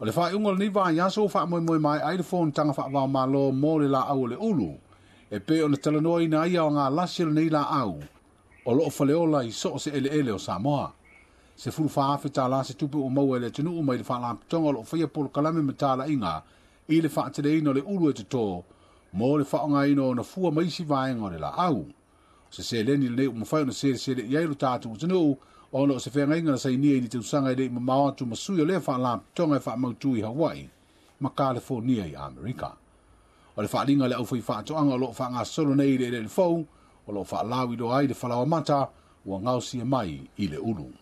O le faaiuga o lenei vaiaso ua faamoemoe maea ai le fonotaga faava-o-Malo mo le laau o le ulu, e pei ona talanoaina ai aoga lasi o lenei laau o loo faleola i so o se eleele o Samoa. $14,000 se tupe ua maua e le atunuu mai le faalapotopotoga o loo faia polokalame ma talaiga i le faateleina o le ulu e toto mo le faaaogaina o ona fua ma isi vaega o le laau. O se seleni lenei ua mafai ona selesele i ai lo tatou atunuu, ona o se feagaiga na sainia i ni tausaga e le i mamao atu ma sui o lea faalapotopotoga e faamautu i Hawaii ma Kalifornia i Amerika. O le faaaliga a le aufaifaatoaga o loo faagasolo nei i le eleele fou o loo faalauiloa ai le falaoamata ua gaosia mai i le ulu.